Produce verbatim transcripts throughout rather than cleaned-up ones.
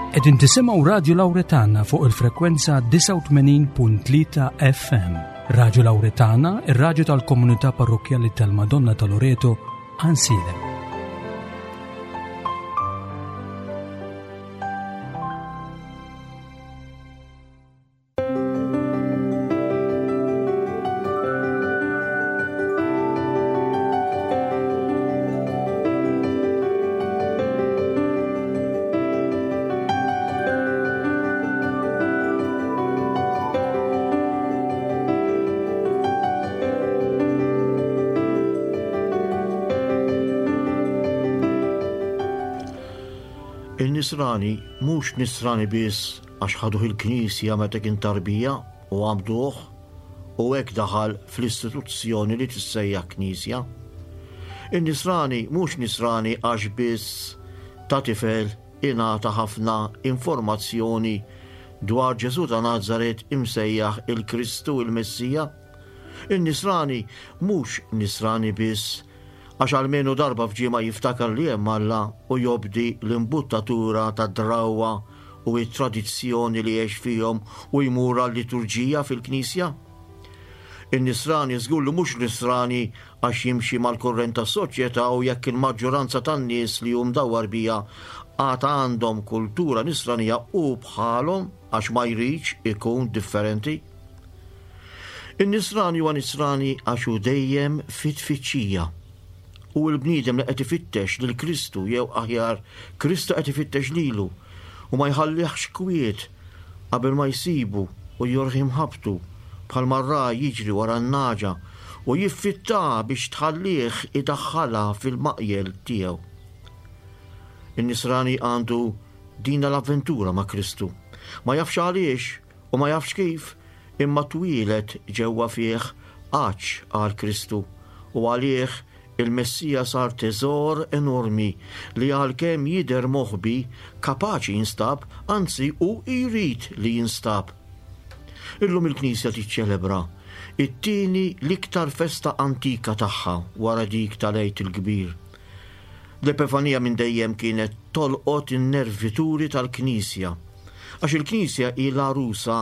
Qegħdin tisimgħu Radio Lauretana fuq il-frekwenza disgħa u tmenin punt tlieta F M. Radio Lauretana, ir-radju tal-komunità parrokkjali tal-Madonna ta' Loreto, Għajnsielem. Il-Nisrani mhux Nisrani biss għax ħaduh il-Knisja meta kien tarbija u għamduh u hekk daħal fl-istituzzjoni li tissejjaħ Knisja. Il-Nisrani mhux Nisrani għax biss ta' tifel ingħata ħafna informazzjoni dwar Ġesù ta' Nazaret imsejjaħ il-Kristu, il-Messija. Il-Nisrani mhux Nisrani biss għax almenu darba f'ġimgħa jiftakar li hemm Alla u jobdi l-imbuttatura ta' drawwa u t-tradizzjoni li jgħix fihom u jmur għal-liturġija fil-Knisja. Il-Nisrani żgur li mhux Nisrani għax jimxi mal-kurrent tas-soċjetà u jekk il-maġġoranza tan-nies li hu mdawwar biha għad għandhom kultura Nisranija u bħalhom għax ma jridx ikun differenti. Il-Nisrani huwa Nisrani għax hu dejjem fit-tfittxija. U l-bniedem li qed ifittex lil Kristu, jew aħjar, Kristu qed ifittex lilu u ma jħallihx kwiet qabel ma jsibu u jurih imħabbtu, bħalma r-ragħaj jiġri wara n-nagħġa u jiffitta biex tħallih idaħħalha fil-maqjel tiegħu. In-Nisrani għandu dina l-avventura ma' Kristu. Ma jafx għaliex u ma jafx kif, imma twieled ġewwa fih għatx għal Kristu u għalih il-Messija sar teżor enormi li għalkemm jidher moħbi kapaċi jinstab, anzi u jrid li jinstab. Illum il-Knisja tiċċelebra it-tieni l-iktar festa antika tagħha wara dik tal-Għid il-Kbir. L-Epifanija minn dejjem kienet tolqot in-nervituri tal-Knisja, għax il-Knisja hi l-għarusa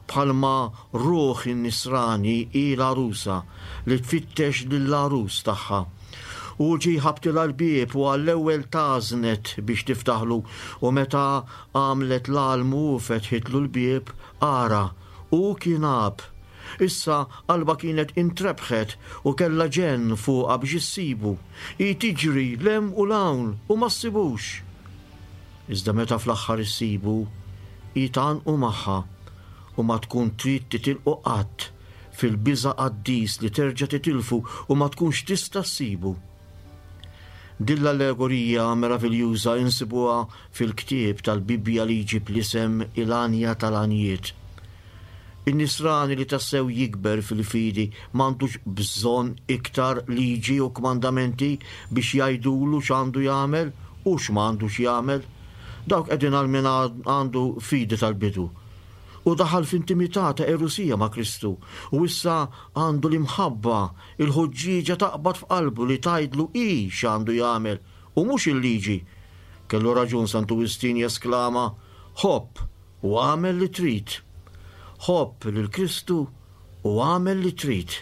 bħalma ruħ in-Nisrani hi l-għarusa li tfittex lill-għarus tagħha. U ġie ħabtilha l-bieb u għall-ewwel tgħażżnet biex tiftaħlu, u meta għamlet l-almu u fetħitlu l-bieb, ara, u kien għab. Issa qalba kienet intrebħet u kellha ġenn fuqha biex issibu. Hi tiġri 'l hemm u 'l hawn u ma ssibux. Iżda meta fl-aħħar issibu, hi tgħannqu magħha u ma tkun trid titilqu qatt fil-biża' qaddis li terġa' titilfu u ma tkunx tista' ssibu. Din l-allegorija meraviljuża insibuha fil-ktieb tal-Bibbja li jġib l-isem Il-Għanja tal-Għanjiet. In-Nisrani li tassew jikber fil-fidi m'għandux bżonn iktar liġi u kmandamenti biex jgħidulu x'għandu jagħmel u x'm'għandux jagħmel. Dawk qegħdin għal min għandu fidi tal-bidu. U daħal f'intimità ta' erusija ma' Kristu u issa għandu l-imħabba, il-ħuġġieġa taqbad f'qalbu li tgħidlu hi x'għandu jagħmel u mhux il-liġi. Kellu raġun Santu Wistin jesklama, "Ħobb u għamel li trid." Ħobb lil Kristu u għamel li trid.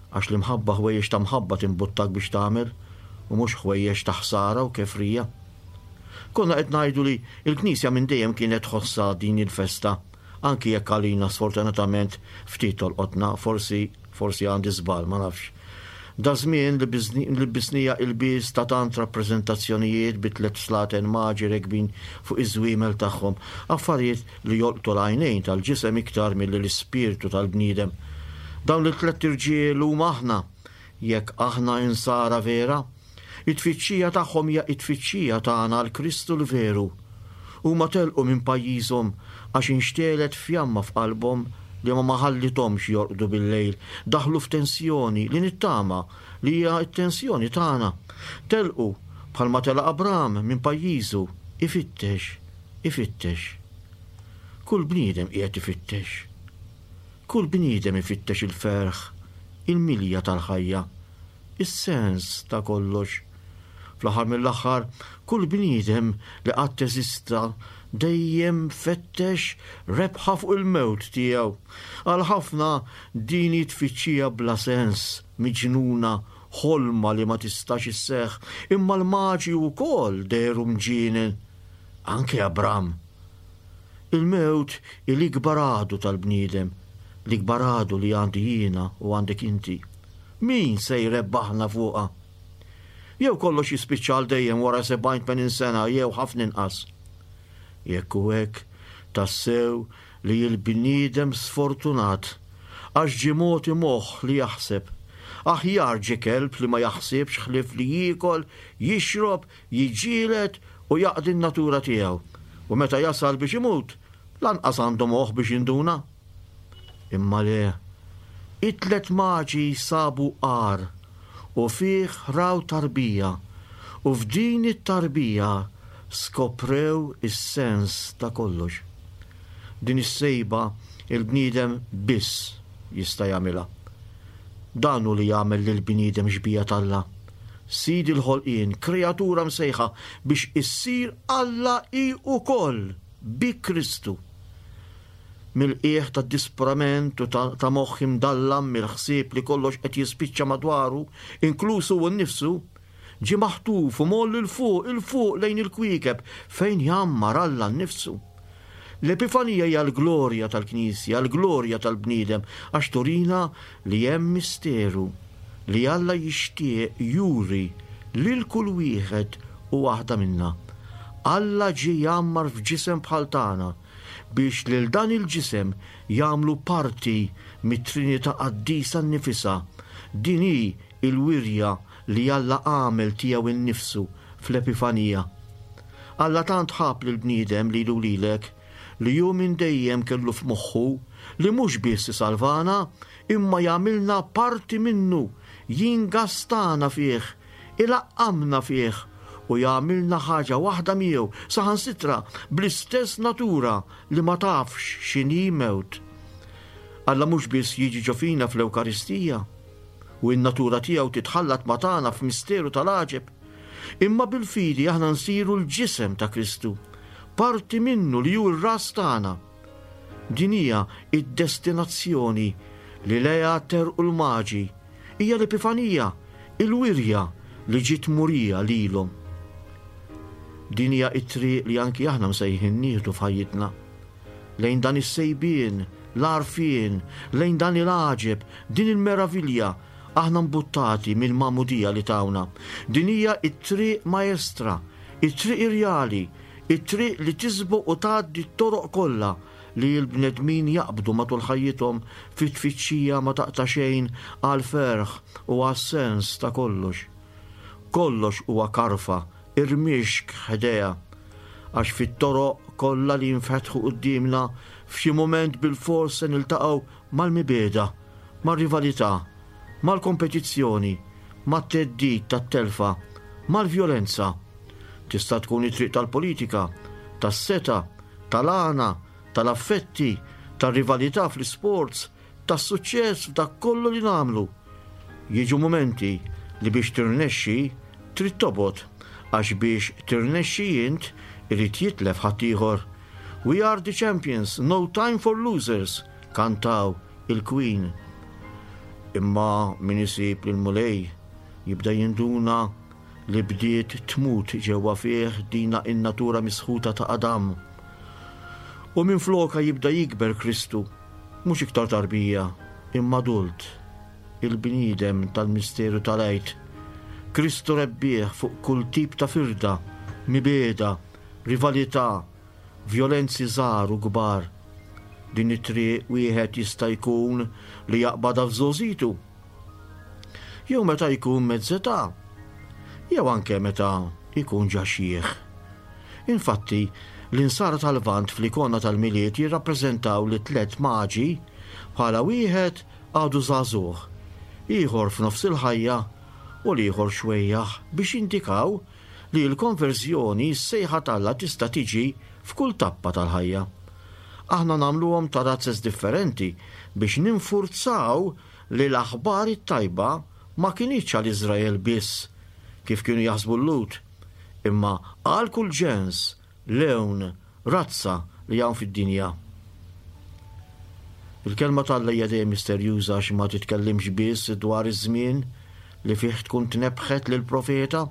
Għax l-imħabba ħwejjeġ ta' mħabba timbuttak biex tagħmel u mhux ħwejjeġ ta' ħsara u kefrija. Konna qed ngħidu li l-Knisja minn dejjem kienet tħossha din il-festa, anki jekk għalina sfortunatament ftit tolqotna, forsi, forsi għandi żball, ma nafx. Da żmien li bizni-, li bisnija il-biż ta' tant rappreżentazzjonijiet bi tliet slaten maġi rekbin fuq iż-żwiemel tagħhom, affarijiet li jolqtu l-għajnejn tal-ġisem iktar milli l-ispirtu tal-bniedem. Dawn li tliet irġiel huma aħna, jekk aħna insara vera, it-tfittxija tagħhom hija t-tfittxija tagħna għal Kristu l-veru. Huma telqu minn pajjiżhom għax inxtelet fjamma f'qalbhom li ma ħallithomx jorqdu bil-lejl, daħlu f'tensjoni li nittama li hija t-tensjoni tagħna. Telqu bħalma telaq Abram minn pajjiżu, ifittex, ifittex. Kull bniedem qiegħed ifittex. Kull bniedem ifittex il-ferħ, il-milja tal-ħajja, is-sens ta' kollox. Fl-aħħar mill-aħħar, kull bniedem li qatt eżista dejjem fettex rebħa fuq il-mewt tiegħu. Għal ħafna din hi tfittxija bla sens, miġnuna, ħolma li ma tistax isseħħ, imma l-maġi wkoll dehru mġienen. Anke Abram. Il-mewt hi l-ikbar għadu tal-bniedem, l-ikbar għadu li għandi jiena u għandek inti. Min se jrebbaħna fuqha? Jew kollox jispiċċa għal dejjem wara sebgħin tmenin sena jew ħafna inqas. Jekk hu hekk, tassew li l-bniedem sfortunat, għax ġie mogħti moħħ li jaħseb. Aħjar ġie kelb li ma jaħsibx ħlief li jiekol, jixrob, jiġġieled u jaqdi n-natura tiegħu. U meta jasal biex imut, lanqas għandu moħħ biex jinduna. Imma le, it-tlet maġi sabu għar u fih raw tarbija, u f'din it-tarbija skoprew is-sens ta' kollox. Din is-sejba il-bniedem biss jista' jagħmilha. Dan hu li jagħmel lill-bniedem xbieha t'Alla. Sid il-ħolqien, kreatura msejħa biex issir Alla hi wkoll bi Kristu. Mill-qiegħ ta' disprament u ta', ta' moħħ imdallam mill-ħsieb li kollox qed jispiċċa madwaru, inkluż hu nnifsu, ġie maħtuf u mgħolli 'l fuq, 'il fuq lejn il-kwiekeb fejn jgħammar Alla nnifsu. L-Epifanija hija l-glorja tal-Knisja, l-glorja tal-bniedem, għax turina li hemm misteru li Alla jixtieq juri lil kull wieħed u waħda minna. Alla ġie jgħammar f'ġisem bħal tagħna biex lil dan il-ġisem jagħmlu parti mit-Trinità Qaddisa nnifisha. Din hi l-wirja li Alla għamel tiegħu nnifsu fl-Epifanija. Alla tant ħab lill-bniedem lilu lilek li hu minn dejjem kellu f'moħħu li mhux biss isalvana, imma jagħmilna parti minnu, jingastana fih, ilaqqamna fih u jagħmilna ħaġa waħda miegħu, saħansitra bl-istess natura li ma tafx x'inhi mewt. Alla mhux biss jiġi ġo fina fl-Ewkaristija u n-natura tiegħu titħallat ma' tagħna f'misteru tal-għaġeb, imma bil-fidi aħna nsiru l-ġisem ta' Kristu, parti minnu li hu r-ras tagħna. Din hija id-destinazzjoni li lejha terqu l-maġi, hija l-Epifanija, il-wirja li ġiet murija lilhom. Din hija t-triq li anki aħna msejħin nieħdu f'ħajjitna. Lejn dan is-sejbien, l-għarfien, lejn dan il-għaġeb, din il-meravilja, aħna mbuttati mill-magħmudija li tawna. Din hija t-triq maestra, it-triq irjali, it-triq li tisboq u tgħaddi t-toroq kollha li l-bnedmin jaqbdu matul ħajjithom fit-tfittxija ma taqta' xejn għal ferħ u għas-sens ta' kollox. Kollox huwa karfa, irmixk ħdejha, għax fit-toroq kollha li jinfetħu quddiemna f'xi mument bil-fors se niltaqgħu mal-mibegħda, mar-rivalità, mal-kompetizzjoni, mat-theddid tat-telfa, mal-vjolenza. Tista' tkun it-triq tal-politika, tas-seta, tal-għana, tal-affetti, tar-rivalità fl-isports, tas-suċċess f'dak kollu li nagħmlu. Jiġu mumenti li biex tirnexxi trid tobgħod, għax biex tirnexxi int irid jitlef ħaddieħor. We are the champions, no time for losers, kantaw il-Queen. Imma min isib lill-Mulej jibda jinduna li bdiet tmut ġewwa fih dina in-natura misħuta ta' Adam. U minn floka jibda jikber Kristu, mhux iktar tarbija, imma adult, il-bniedem tal-misteru tal-Għid. Kristu rebbieħ fuq kull tip ta' firda, mibegħda, rivalità, vjolenzi żgħar u kbar. Din it-triq wieħed jista' jkun li jaqbadha f'żgħożitu, jew meta jkun mezzetà, jew anke meta jkun ġa xjieħ. Infatti, l-insara tal-Lvant fl-ikona tal-Milied jirrappreżentaw li tliet maġi bħala wieħed għadu żagħżugħ, ieħor f'nofs il-ħajja u l-ieħor xwejjaħ, biex jindikaw li l-konverżjoni s-sejħa t'Alla tista' tiġi f'kull tappa tal-ħajja. Aħna nagħmluhom ta' razzes differenti biex ninfurzaw li l-aħbar it-tajba ma kinitx għal Iżrael biss, kif kienu jaħsbu l-Lhud, imma għal kull ġens, lewn, razza li hawn fid-dinja. Il-kelma t'Alla hija dejjem misterjuża għax ma titkellimx biss dwar iż-żmien li fih tkun tnebbħet lill-profeta,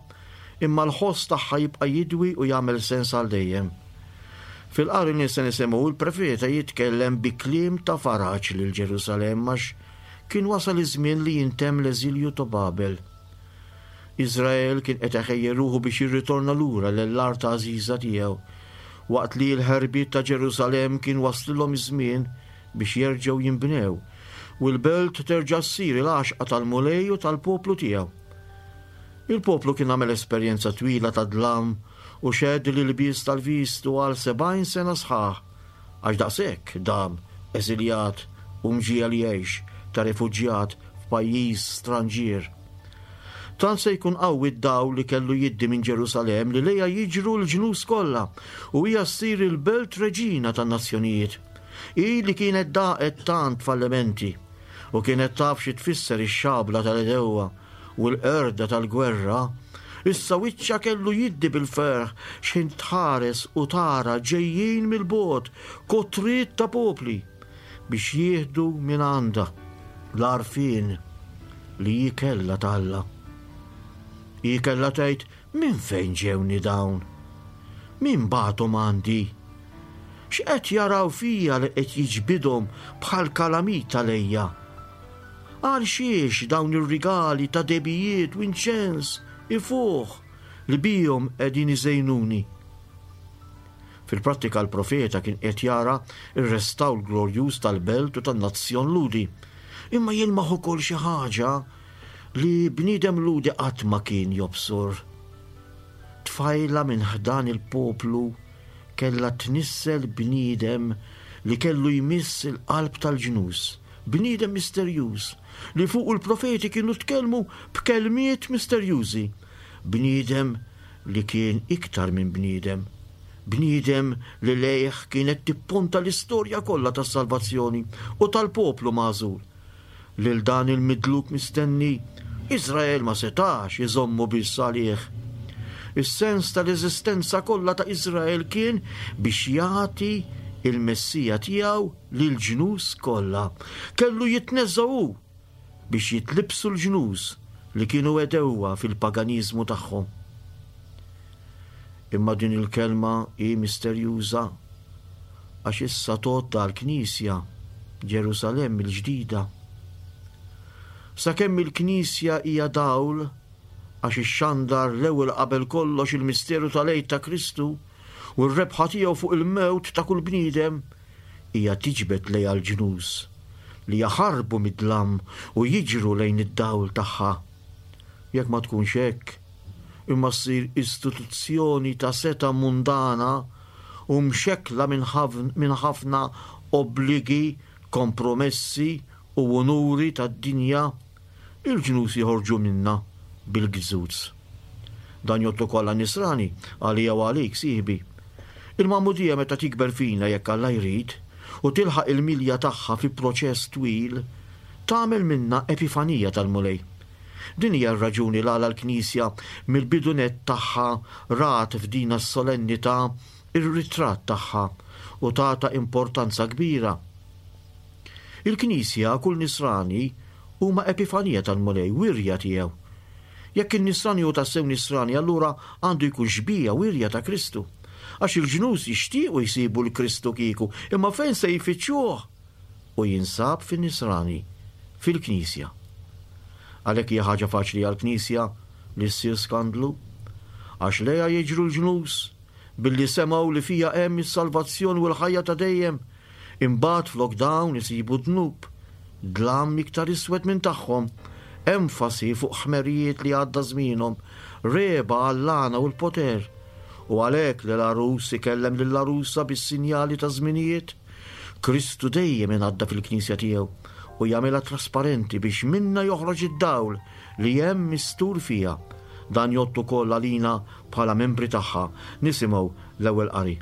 imma l-ħoss tagħha jibqa' jidwi u jagħmel sens għal dejjem. Fil-qari li se nisimgħu il-profeta jitkellem bi kliem ta' faraġ lil Ġerusalemm għax kien wasal iż-żmien li jintemm l-eżilju ta' Babel. Iżrael kien qed iħejji ruħu biex jirritorna lura lill-art għażiża tiegħu, waqt li l-ħerbiet ta' Ġerusalemm kien waslilhom iż-żmien biex jerġgħu jinbnew u l-belt terġa' ssir il-għaxqa tal-Mulej u tal-poplu tiegħu. Il-poplu kien għamel esperjenza twila ta' dlam u xehed l-ilbies tal-vistu għal sebgħin sena sħaħ, għax daqshekk dam eżiljat u mġiegħel jgħix ta' refuġjat f'pajjiż stranġier. Tant se jkun qawwi d-dawl li kellu jiddi minn Ġerusalemm li lejha jiġru l-ġnus kollha u hija ssir il-belt reġina tan-nazzjonijiet. Hi li kienet daqet tant fallimenti u kienet taf xi tfisser ix-xabla tal-għedewwa u l-qerda tal-gwerra, issa wiċċha kellu jiddi bil-ferħ x'ħin tħares u tara ġejjin mill-bogħod kotriet ta' popli biex jieħdu minn għandha l-għarfien li hi kellha t'Alla. Hi kellha tgħid, minn fejn ġewni dawn? Min bagħathom għandi? X'qed jaraw fija li qed jiġbidhom bħal kalamita lejja? Għal xiex dawn ir-rigali ta' debijiet u inċens ifuħ li bihom qegħdin iżejnuni? Fil-prattika l-profeta kien qed jara r-restawr glorjuż tal-belt u tan-nazzjon Lhudi. Imma jilmaħ ukoll xi ħaġa li bniedem Lhudi qatt ma kien jobsor. Tfajla minn ħdan il-poplu kellha tnissel bniedem li kellu jmiss il-qalb tal-ġnus, bniedem misterjuż li fuq il-profeti kienu tkellmu b'kelmiet misterjużi, bniedem li kien iktar minn bniedem, bniedem li lejh kienet tipponta l-istorja kollha tas-salvazzjoni u tal-poplu magħżul. Lil dan il-midluk mistenni, Iżrael ma setax iżommu biss għalih. Is-sens tal-eżistenza kollha ta' Iżrael kien biex jagħti il-Messija tiegħu lil ġnus kollha. Kellu jitneżża' hu biex jitlibsu l-ġnus li kienu għedewwa fil-paganiżmu tagħhom. Imma din il-kelma hi misterjuża għax issa tgħodd għall-Knisja Ġerusalemm il-ġdida. Sakemm il-Knisja hija dawl għax ixxandar l-ewwel qabel kollox il-misteru tal-Għid ta' Kristu u r-rebħa tiegħu fuq il-mewt ta' kull bniedem, hija tiġbed lejha l-ġnus li jaħarbu mid-dlam u jiġru lejn id-dawl tagħha. Jekk ma tkunx hekk, imma ssir istituzzjoni ta' seta' mundana u mxekkla minn ħafna obbligi, kompromessi u onuri tad-dinja, il-ġnus joħorġu minna bil-gżuz. Dan jgħodd ukoll għan-nisrani, għalija u għalik, sieħbi. Il-magħmudija meta tikber fina jekk Alla jrid u tilħaq il-milja tagħha fi proċess twil, tagħmel minna epifanija tal-Mulej. Din hija r-raġuni l għala l-Knisja mill-bidu nett tagħha rat f'dina s-solennità ir-ritratt tagħha u tata importanza kbira. Il-Knisja kull nisrani huma epifanija tal-Mulej, wirja tiegħu. Jekk in-nisrani hu tassew nisrani, allura għandu jkun xbieha wirja ta' Kristu. Għax il-ġnus jixtiequ jsibu l-Kristu kieku, imma fejn se jfittxuh? U jinsab fin-nisrani, fil-Knisja. Għalhekk hija ħaġa faċli għall-Knisja li ssir skandlu, għax lejha jiġru l-ġnus billi semgħu li fija hemm is-salvazzjoni u l-ħajja ta' dejjem. Imbagħad flok dawn isibu dnub, dlam iktar iswed minn tagħhom, enfasi fuq ħmerijiet li għadda żmienhom, reba għall-għana u l-poter. U għalhekk li l-għarus ikellem lill-għarusa bis-sinjali ta' żminijiet, Kristu dejjem ingħadda fil-Knisja tiegħu u jagħmilha trasparenti biex minna joħroġ id-dawl li hemm mistur fiha. Dan jgħodd ukoll għalina bħala membri tagħha. Nisimgħu l-ewwel qari.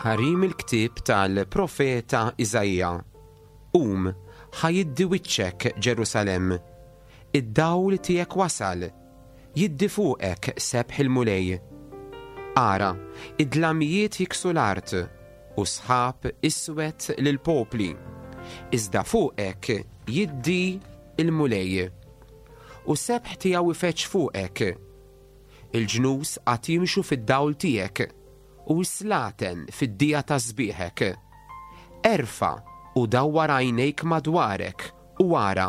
Qari mill-ktieb tal-profeta Iżaija. Qum, ħa jiddi wiċċek Ġerusalemm. Id-dawl tiegħek wasal, jiddi fuqek sebħ il-Mulej. Ara, id-dlamijiet jiksu l-art u sħab iswed lill-popli. Iżda fuqek jiddi il-Mulej. U sebħ tiegħu ifeġġ fuqek. Il-ġnus għad jimxu fid-dawl tiegħek u s-slaten fid-dija ta' sbieħek. Erfa' u dawwar għajnejk madwarek u ara.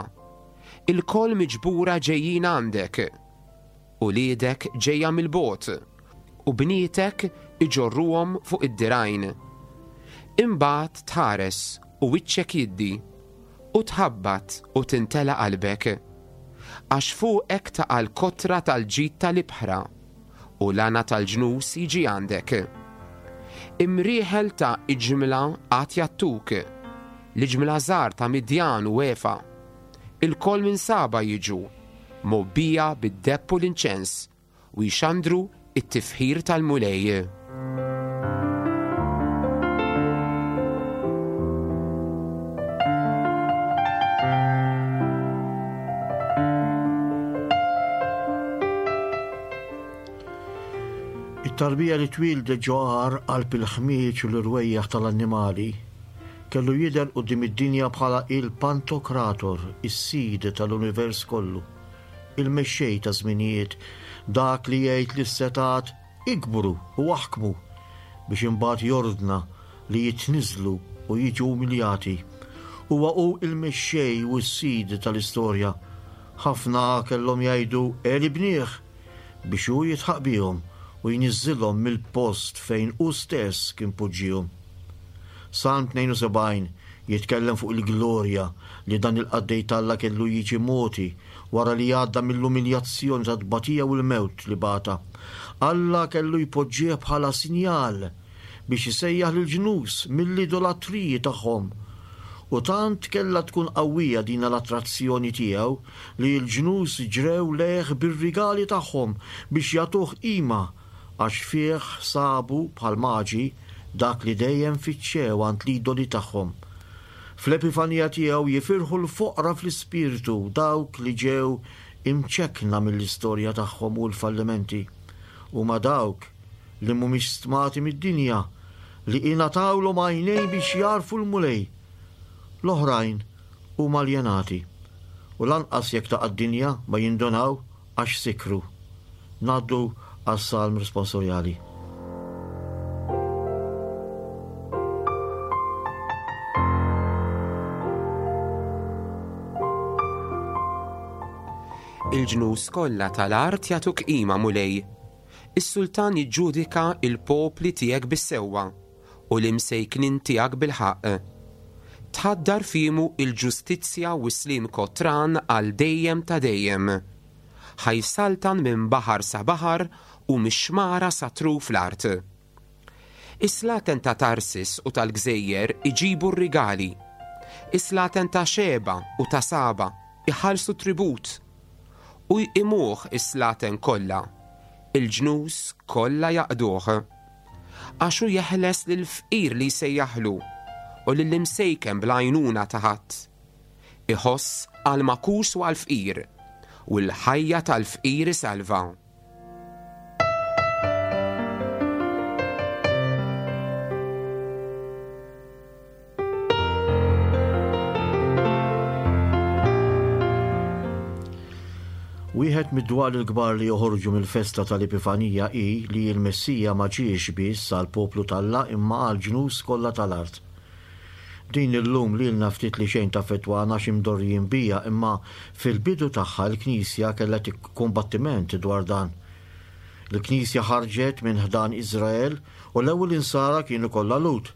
Il-koll miġbura ġejjin għandek. Uliedek ġejja mill-bogħod u bnietek iġorruhom fuq id-dirgħajn. Imbagħad tħares u wiċċek jiddi u tħabbat u tintela qalbek. Għax fuqek taqa' l-kotra tal-ġid tal-ibħra u l-għana tal-ġnus jiġi għandek. Imrieħel ta' iġmla għad jagħtuk, l-iġmla żgħar ta' Midjan u Efa. Il-koll minn Saba jiġu, mgħobbija bid-deheb u l-inċens, u jxandru it-tifħir tal-Mulej. It-tarbija li twieldet ġo għar qalb il-ħmieġ u l-irwejjaħ tal-annimali kellu jidher quddiem id-dinja bħala il-Pantokrator, is-sid tal-univers kollu, il-mexxej ta' żminijiet, dak li jgħid lis-setgħat ikbru u aħkmu biex imbagħad jordna li jitniżlu u jiġu umiljati. Huwa hu il-mexxej u s-sid tal-istorja. Ħafna kellhom jgħidu għelibnieh biex hu jidħaq bihom u jniżżilhom mill-post fejn hu stess kien poġġihom. Salm tnejn u sebgħin jitkellem fuq il-glorja li dan il-qaddej t'Alla kellu jiġi moti wara li għadda mill-umiljazzjoni ta' tbatija u l-mewt li bata. Alla kellu jpoġġih bħala sinjal biex isejjaħ lill-ġnus mill-idolatriji tagħhom. U tant kellha tkun qawwija din l-attrazzjoni tiegħu li l-ġnus ġrew lejh bir-rigali tagħhom biex jagħtuh qima, għax fih sabu bħal maġi dak li dejjem fittxew għand l-idoli tagħhom. Fl-epifanija tiegħu jifirħu l-foqra fl-ispirtu, dawk li ġew imċekkna mill-istorja tagħhom u l-fallimenti. Huma dawk li mhumiex stmati mid-dinja, li ingħatawlhom għajnejn biex jarfu l-Mulej. L-oħrajn huma aljenati, u lanqas jekk taqa' d-dinja ma jindunaw għax sikru. Ngħaddu għas-salm responsorjali. Il-ġnus kollha tal-art jagħtuk qima, Mulej. Is-sultan jiġġudika il-popli tiegħek bis-sewwa u l-imsejknin tiegħek bil-ħaqq. Tħaddar fimu il-ġustizzja u s-slim kotran għal dejjem ta' dejjem. Ħajsaltan minn baħar sa baħar u mix-xmara sa truf l-art. Is-slaten ta' Tarsis u tal-Gżejjer iġibu r-rigali. Is-slaten ta' Xeba u ta' Saba iħallsu tribut. U jqimuh is-slaten kollha, il-ġnus kollha jaqduh. Għax hu jeħles lill-fqir li jsejjaħlu u lill-imsejken bl-għajnuna ta' ħadd. Iħoss għall-makus u għall-fqir, u l-ħajja tal-fqir isalva. Wieħed mid-dwal il-kbar li joħorġu mill-festa tal-Epifanija hi li l-Messija ma ġiex biss għall-poplu t'Alla imma għall-ġnus kollha tal-art. Din illum lilna ftit li xejn taffettwana xi mdorrijin bija, imma fil-bidu tagħha l-Knisja kellha kombattiment dwar dan. Il-Knisja ħarġet minn ħdan Iżrael u l-ewwel insara kienu kollha Lhud.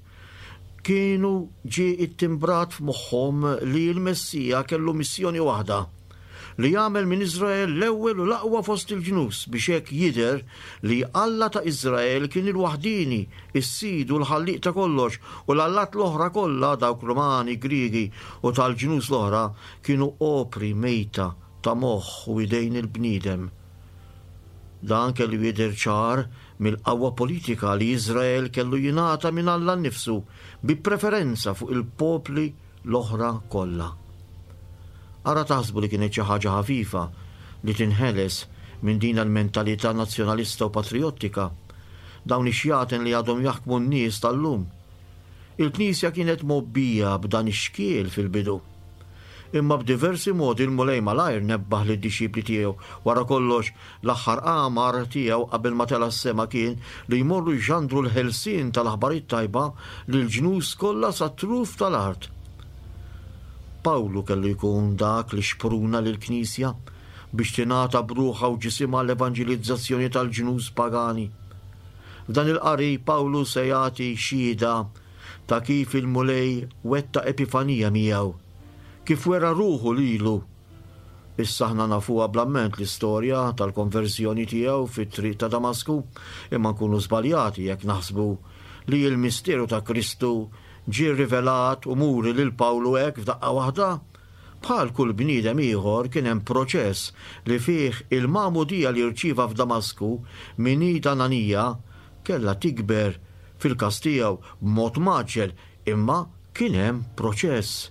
Kienu ġie ittimbrat f'moħħhom li l-Messija kellu missjoni waħda, li jagħmel minn Iżrael l-ewwel u l-aqwa fost il-ġnus biex hekk jidher li Alla ta' Iżrael kien il-waħdini, is-sid u l-ħallieq ta' kollox, u l-allat l-oħra kollha, dawk Rumani, Griegi u tal-ġnus l-oħra, kienu opri mejta ta' moħħ u idejn il-bniedem. Dan kellu jidher ċar mill-qawwa politika li Iżrael kellu jingħata minn Alla nnifsu bi preferenza fuq il-popli l-oħra kollha. Ara taħsbu li kienet xi ħaġa ħafifa li tinħeles minn din il-mentalità nazzjonalista u patrijottika, dawn ix-xjaten li għadhom jaħkmu n-nies tal-lum. Il-Knisja kienet mgħobbija b'dan ix-xkiel fil-bidu. Imma b'diversi modi l-Mulej malajr nebbaħ lid-dixxipli tiegħu. Wara kollox, l-aħħar qamar tiegħu qabel ma tela' s-sema kien li jmorru jxandru l-ħelsien tal-aħbar it-tajba lill-ġnus kollha sat-truf tal-art. Pawlu kellu jkun dak li xpruna lill-Knisja biex tingħata b'ruħha u ġisimha l-evanġelizzazzjoni tal-ġnus pagani. F'dan il-qari Pawlu se jagħti xhieda ta' kif il-Mulej wettaq epifanija miegħu, kif wera ruħu lilu. Issa aħna nafuha bl-amment l-istorja tal-konverżjoni tiegħu fit-triq ta' Damasku, imma nkunu żbaljati jekk naħsbu li l-misteru ta' Kristu ġie rivelat u muri lil Pawlu hekk f'daqqa waħda. Bħal kull bniedem ieħor kien hemm proċess li fih il-magħmudija li rċieva f'Damasku minn id Ananija kellha tikber fil-każ tiegħu b'mod maġġel, imma kien hemm proċess.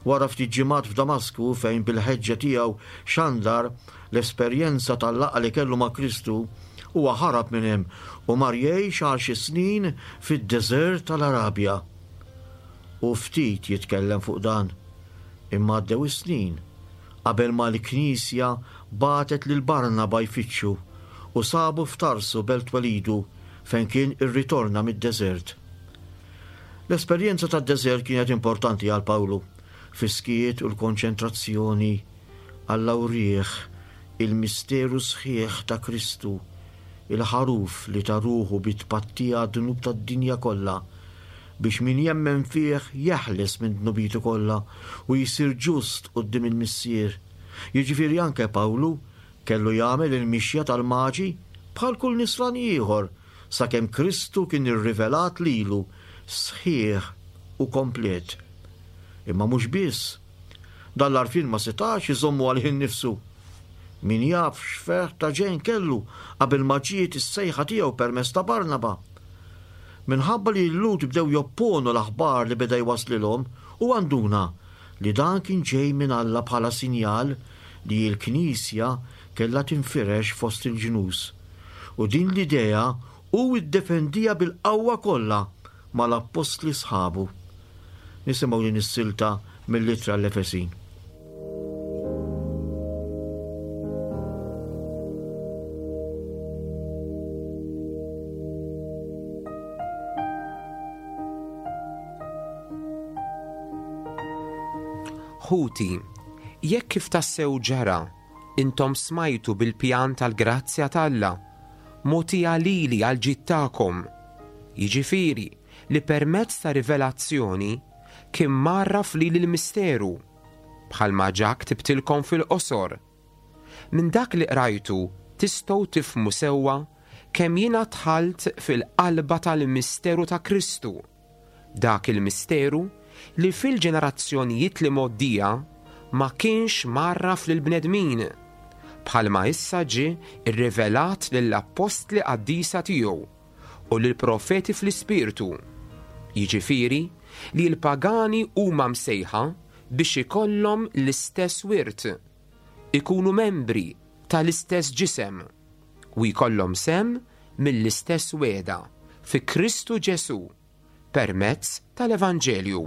Wara ftit ġimgħat f'Damasku fejn bil-ħeġġa tiegħu xandar l-esperjenza tal-laqgħa li kellu ma' Kristu, huwa ħarab minn hemm u mar jgħix għal xi snin fid-deżert tal-Arabja. U ftit jitkellem fuq dan, imma għaddew is-snin qabel ma l-Knisja bagħtet lil Barnaba jfittxu u sabu f'Tarsu belt twelidu fejn kien irritorna mid-deżert. L-esperjenza tad-deżert kienet importanti għal Pawlu, fis-skiet u l-konċentrazzjoni Alla wrieh il-misteru sħiħ ta' Kristu, il-ħaruf li ta ruħu bi tpattija għad-dnub tad-dinja kollha, biex min jemmen fih jeħles minn dnubitu kollha u jsir ġust quddiem il-Missier. Jiġifieri anke Pawlu kellu jagħmel il-mixja tal-maġi bħal kull nisrani ieħor sakemm Kristu kien irrivelat lilu sħiħ u komplet. Imma mhux biss, dan l-għarfien ma setax iżommu għalih innifsu. Min jaf x'ferħ ta' ġenn kellu qabel ma ġiet is-sejħa tiegħu permezz ta' Barnaba. Minħabba li l-Lhud bdew jopponu l-aħbar li beda jwaslilhom, u għanduna li dan kien ġej minn Alla bħala sinjal li l-Knisja kellha tinfirex fost il-ġnus. U din l-idea hu iddefendija bil-qawwa kollha mal-appostli sħabu. Nisimgħu din is-silta mill-ittra l-Efesin. Ħuti, jekk kif tassew ġara, intom smajtu bil-pjan tal-grazzja t'Alla, mogħtija lili għal ġid tagħkom, jiġifieri li permezz ta' rivelazzjoni kien mgħarraf lili l-misteru, bħalma ġa ktibtilkom fil-qosor. Minn dak li qrajtu tistgħu tifhmu sewwa kemm jiena dħalt fil-qalba tal-misteru ta' Kristu, dak il-misteru li fil-ġenerazzjonijiet li mgħoddija ma kienx mgħarraf lill-bnedmin, bħalma issa ġie rrivelat lill-appostli qaddisa tiegħu u lill-profeti fl-ispirtu, jiġifieri li l-pagani huma msejħa biex ikollhom l-istess wirt, ikunu membri tal-istess ġisem u jkollhom sem mill-istess wegħda fi Kristu Ġesù permezz tal-Evanġelju.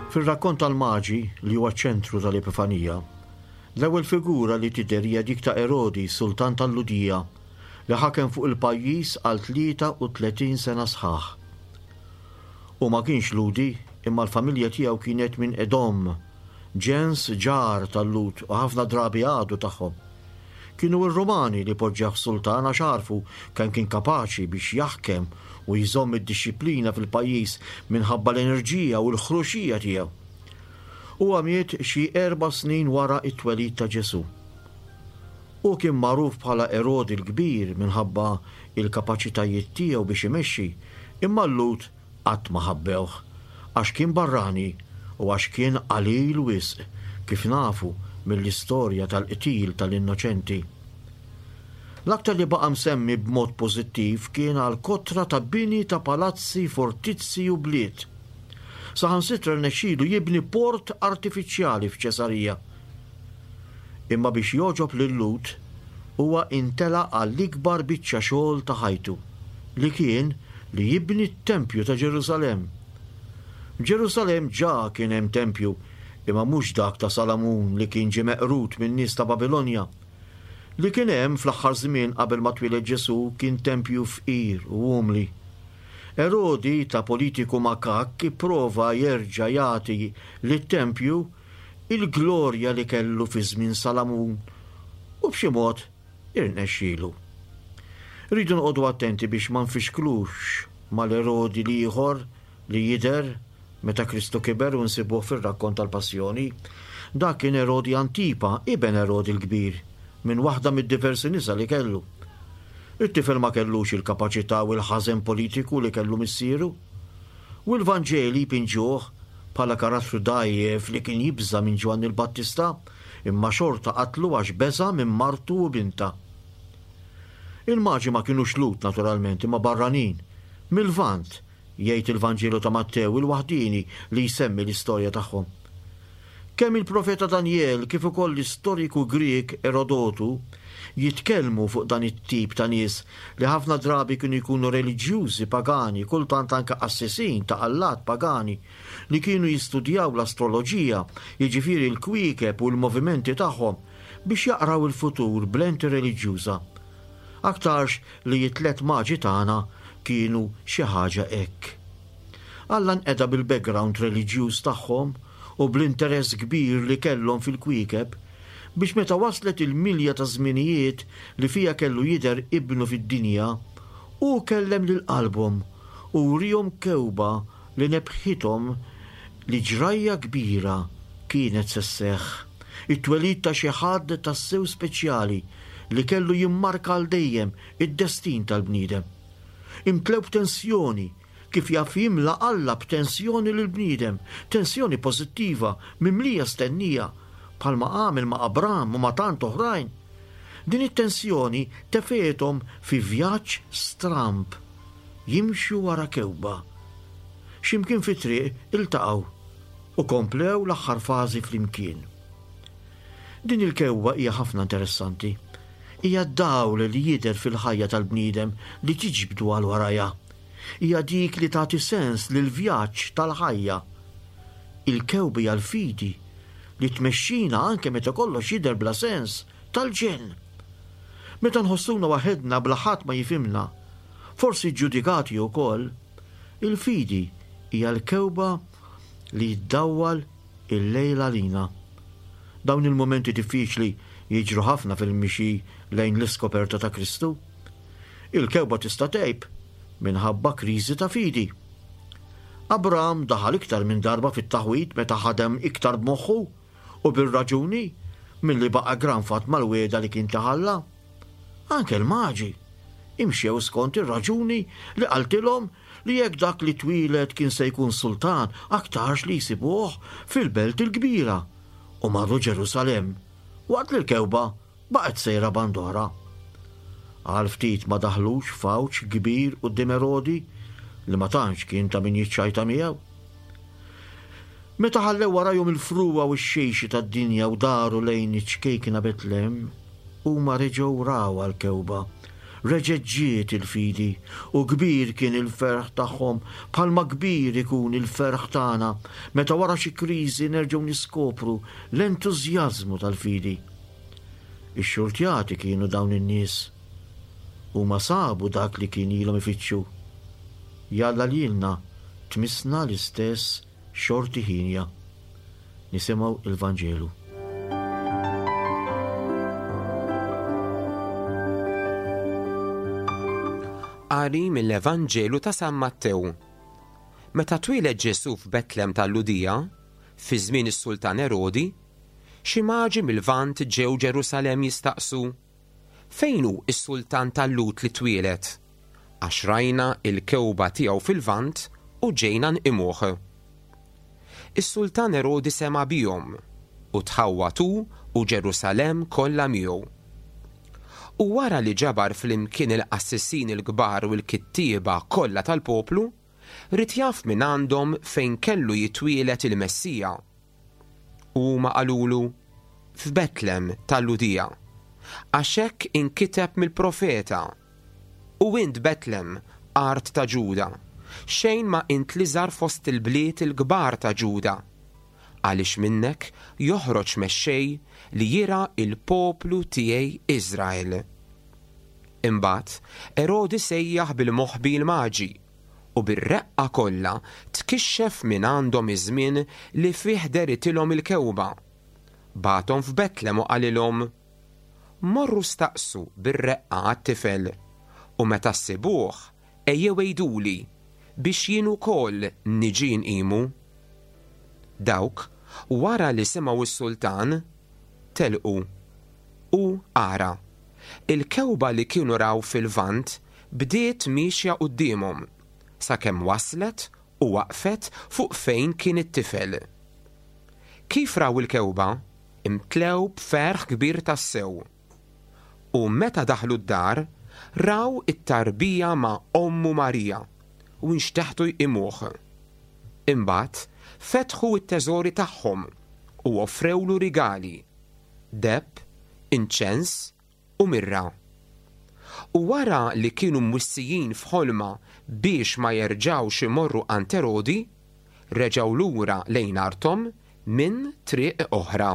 Fir-rakkont tal-Maġi, li huwa ċentru tal-Epifanija, l-ewwel figura li tidher hija dik ta' Erodi, sultan tal-Lhudija, li ħakem fuq il-pajjiż għal tlieta u tletin sena sħaħ. U ma kienx Lhudi, imma l-familja tiegħu kienet minn Edom, ġens ġar tal-Lhud u ħafna drabi għadu tagħhom. Kienu r-Rumani li poġġew sultan għax għarfu kemm kien kapaċi biex jaħkem u jżomm id-dixxiplina fil-pajjiż minħabba l-enerġija u l-ħruxija tiegħu. Huwa miet xi erba' snin wara t-twelid ta' Ġesù. Hu kien magħruf bħala Erodi l-Kbir minħabba il-kapaċitajiet tiegħu biex imexxi, imma l-Lhud qatt ma ħabbewh għax kien barrani u għax kien qalil wisq, kif nafu mill-istorja tal-qtil tal-innoċenti. L-aktar li baqa' msemmi b'mod pożittiv kien għal kotra ta' bini ta' palazzi, fortizzi u bliet. Saħansitra rnexxielu jibni port artifiċjali f'Ċesarija. Imma biex jogħġob lil-Lhud, huwa intela għall-ikbar biċċa xogħol ta' ħajtu, li kien li jibni t-tempju ta' Ġerusalemm. Ġerusalemm ġa kien hemm tempju, imma mhux dak ta' Salamun li kien ġie meqrud min-nies ta' Babilonja. Li kien hemm fl-aħħar żmien qabel ma twieled Ġesù kien tempju fqir u umli. Erodi ta' politiku makak ipprova jerġa' jagħti lit-tempju il-glorja li kellu fi żmien Salamun u b'xi mod irnexxielu. Rridu noqogħdu attenti biex ma nfixklux mal-Erodi l-ieħor li jidher meta Kristu kiber u nsibuh fir-rakkont tal-Passjoni. Dak kien Erodi Antipa, iben Erodi l-Kbir, minn waħda mid-diversi nisa li kellu. It-tifel ma kellux il-kapaċità u l-ħażen politiku li kellu missieru. U l-Vanġeli jpinġuh bħala karattru dgħajjef li kien jibża' minn Ġwanni l-Battista, imma xorta qatlu għax beża' minn martu u bintha. Il-maġi ma kinux Lhud naturalment, imma barranin, mil-Lvant, jgħid il-Vanġelu ta' Mattew il-waħdieni li jsemmi l-istorja tagħhom. Kemm il-profeta Danjel kif ukoll l-istoriku Grieg Erodotu jitkellmu fuq dan it-tip ta' nies li ħafna drabi kienu jkunu reliġjużi pagani, kultant anke qassisin ta' allat pagani, li kienu jistudjaw l-astroloġija, jiġifieri l-kwiekeb u l-movimenti tagħhom, biex jaqraw il-futur b'lenti reliġjuża. Aktarx li t-tliet maġi tagħna kienu xi ħaġa hekk. Alla nqeda bil-background reliġjuż tagħhom u bl-interess kbir li kellhom fil-kwiekeb biex meta waslet il-milja ta' żminijiet li fija kellu jidher ibnu fid-dinja, hu kellem lil qalbhom u wrihom kewba li nebħithom li ġrajja kbira kienet se sseħħ, it-twelid ta' xi ħadd tassew speċjali li kellu jimmarka għal dejjem id-destin tal-bniedem. Imtlew b'tensjoni, kif jaf jimla Alla b'tensjoni lill-bniedem, tensjoni pożittiva, mimlija stennija, bħalma għamel ma' Abram u ma' tant oħrajn. Din it-tensjoni tefgħethom fi vjaġġ stramb, jimxu wara kewba. X'imkien fi triq iltaqgħu u komplew l-aħħar fażi flimkien. Din il-kewba hija ħafna interessanti. Hija d-dawl li jidher fil-ħajja tal-bniedem li tiġbdu għal warajha. Hija dik li tagħti sens lill-vjaġġ tal-ħajja. Il-kewba hija l-fidi li tmexxina anke meta kollox jidher bla sens tal-ġenn. Meta nħossuna waħedna bla ħadd ma jifhimna, forsi ġudikati wkoll, il-fidi hija l-kewba li ddawwal il-lejl għalina. Dawn il-momenti diffiċli jiġru ħafna fil-mixi lejn l-iskoperta ta' Kristu. Il-kewba tista' tgħib minħabba kriżi ta' fidi. Abram daħal iktar minn darba fit-taħwid meta ħadem iktar b'moħħu u bir-raġuni milli baqa' granfat mal-wiegħda li kien taħalla. Anke l-maġi imxew skont ir-raġuni li qaltilhom li jekk dak li twieled kien se jkun sultan aktarx li jsibuh fil-belt il-kbira u marru Ġerusalemm, waqt li l-kewba baqgħet sejra band'oħra. Għal ftit ma daħlux f'għawġ kbir quddiem Erodi li ma tantx kien ta' min jiċċajta miegħu. Meta ħallew warajhom il-frugħa u x-xejxi tad-dinja u daru lejn iċ-ċkejkna Betlem, huma reġgħu raw għall-kewba. Reġgħet ġiet il-fidi u kbir kien il-ferħ tagħhom, bħalma kbir ikun il-ferħ tagħna meta wara xi kriżi nerġgħu niskopru l-entużjażmu tal-fidi. Ix-xurtjati kienu dawn in-nies. Huma sabu dak li kien ilhom ifittxu. Jalla lilna tmissna l-istess xorti ħinja. Nisimgħu il-Vanġelu. Qari mill-Evanġelu ta' San Mattew. Meta twieled Ġesù f'Betlem tal-Lhudija, fi żmien is-Sultan Erodi, xi maġi mill-Lvant ġew Ġerusalemm jistaqsu: Fejn hu s-sultan tal-Lhud li twieled? Għax rajna il-kewba tiegħu fil-Lvant u ġejna nqimuh. Is-sultan Erodi sema' bihom u tħawwad hu u Ġerusalemm kollha miegħu. U wara li ġabar flimkien il-qassisin il-kbar u l-kittieba kollha tal-poplu, ried jaf minn għandhom fejn kellu jitwieled il-Messija. U huma qalulu, F'Betlem tal-Lhudija, għax hekk inkiteb mill-profeta. U int Betlem, art ta' Ġuda, xejn ma int l-iżgħar fost il-bliet il-kbar ta' Ġuda, għaliex minnek joħroġ mexxej li jirgħa il-poplu tiegħi Iżrael. Imbagħad Erodi sejjaħ bil-moħbi l-maġi u bir-reqqa kollha tkixxef minn għandhom iż-żmien li fih dehritilhom il-kewba. Bagħathom f'Betlem u qalilhom, Morru staqsu bir-reqqa għat-tifel, u meta ssibuh ejjew għiduli biex jien ukoll niġi nqimu. Dawk, wara li semgħu s-sultan, telqu. U ara, il-kewba li kienu raw fil-Lvant bdiet miexja quddiemhom, sakemm waslet u waqfet fuq fejn kien it-tifel. Kif raw il-kewba, imtlew b'ferħ kbir tassew. U meta daħlu d-dar, raw it-tarbija ma' ommu Marija u nxteħtu jqimuh. Imbagħad fetħu t-teżori tagħhom u offrewlu rigali, deheb, inċens u mirra. U wara li kienu mwissijin f'ħolma biex ma jerġgħux imorru għand Erodi, reġgħu lura lejn arthom minn triq oħra.